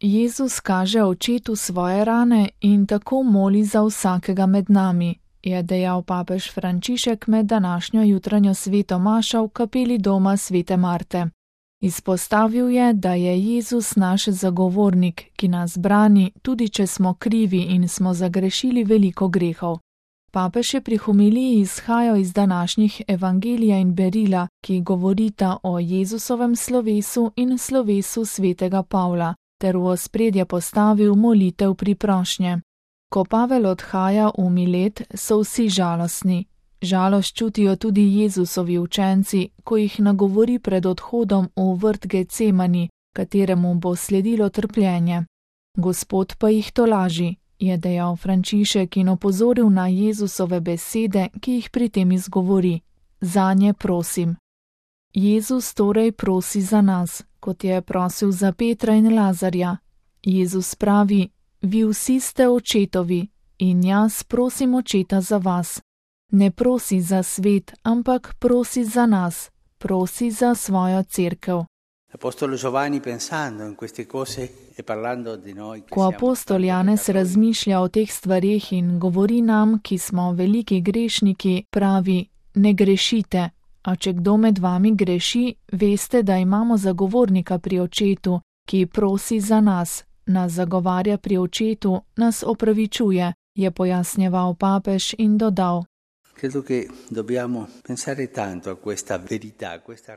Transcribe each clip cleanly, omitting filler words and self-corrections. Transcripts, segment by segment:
Jezus kaže očetu svoje rane in tako moli za vsakega med nami, je dejal papež Frančišek med današnjo jutranjo sveto mašo v kapeli doma svete Marte. Izpostavil je, da je Jezus naš zagovornik, ki nas brani, tudi če smo krivi in smo zagrešili veliko grehov. Papež je pri homiliji izhajal iz današnjih evangelija in berila, ki govorita o Jezusovem slovesu in slovesu svetega Pavla, ter v ospredje postavil molitev priprošnje. Ko Pavel odhaja v Milet, so vsi žalostni. Žalost čutijo tudi Jezusovi učenci, ko jih nagovori pred odhodom v vrt Getsemani, kateremu bo sledilo trpljenje. Gospod pa jih tolaži, je dejal Frančišek in opozoril na Jezusove besede, ki jih pri tem izgovori. Zanje prosim. Jezus torej prosi za nas, kot je prosil za Petra in Lazarja. Jezus pravi, vi vsi ste očetovi in jaz prosim očeta za vas. Ne prosi za svet, ampak prosi za nas, prosi za svojo cerkev. Ko apostol Janez razmišlja o teh stvareh in govori nam, ki smo veliki grešniki, pravi, ne grešite, a če kdo med vami greši, veste, da imamo zagovornika pri očetu, ki prosi za nas zagovarja pri očetu, nas opravičuje, je pojasnjeval papež in dodal.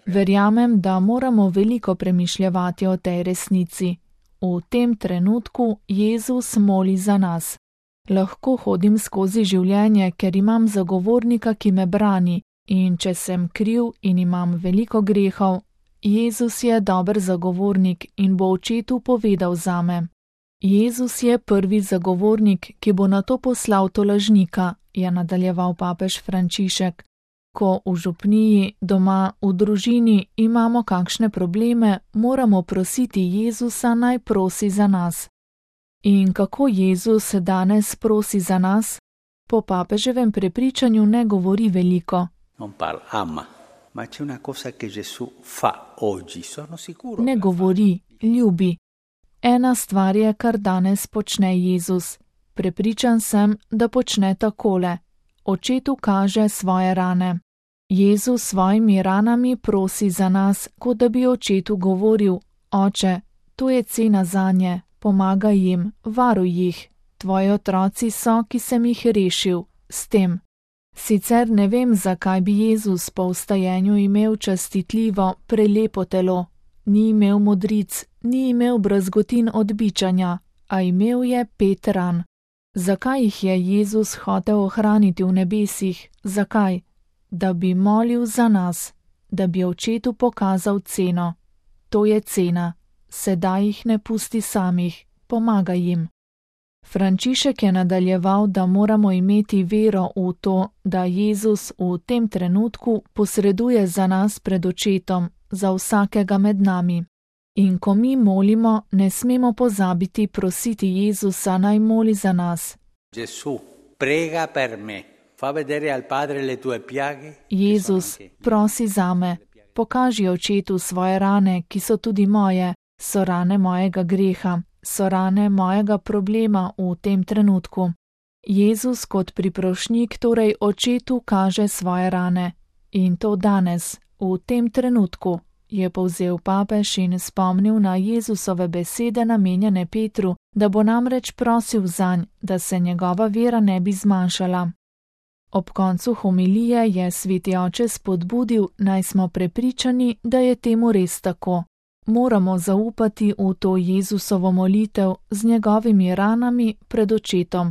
Verjamem, da moramo veliko premišljevati o tej resnici. V tem trenutku Jezus moli za nas. Lahko hodim skozi življenje, ker imam zagovornika, ki me brani, in če sem kriv in imam veliko grehov, Jezus je dober zagovornik in bo očetu povedal zame. Jezus je prvi zagovornik, ki bo nato poslal tolažnika, je nadaljeval papež Frančišek. Ko v župniji, doma, v družini imamo kakšne probleme, moramo prositi Jezusa, naj prosi za nas. In kako Jezus danes prosi za nas? Po papeževem prepričanju ne govori veliko. Ne govori, ljubi. Ena stvar je, kar danes počne Jezus. Prepričan sem, da počne takole. Očetu kaže svoje rane. Jezus svojimi ranami prosi za nas, kot da bi očetu govoril, oče, to je cena zanje, pomagaj jim, varuj jih. Tvoji otroci so, ki sem jih rešil, s tem. Sicer ne vem, zakaj bi Jezus po vstajenju imel častitljivo, prelepo telo. Ni imel modric, ni imel brazgotin od bičanja, a imel je 5 ran. Zakaj jih je Jezus hotel ohraniti v nebesih? Zakaj? Da bi molil za nas, da bi očetu pokazal ceno. To je cena. Sedaj jih ne pusti samih, pomagaj jim. Frančišek je nadaljeval, da moramo imeti vero v to, da Jezus v tem trenutku posreduje za nas pred očetom, za vsakega med nami. In ko mi molimo, ne smemo pozabiti prositi Jezusa, naj moli za nas. Jezus, prosi zame, pokaži očetu svoje rane, ki so tudi moje, so rane mojega greha, so rane mojega problema v tem trenutku. Jezus kot priprošnjik torej očetu kaže svoje rane. In to danes, v tem trenutku, je povzel papež in spomnil na Jezusove besede namenjene Petru, da bo namreč prosil zanj, da se njegova vera ne bi zmanjšala. Ob koncu homilije je sveti oče spodbudil, naj smo prepričani, da je temu res tako. Moramo zaupati v to Jezusovo molitev z njegovimi ranami pred očetom.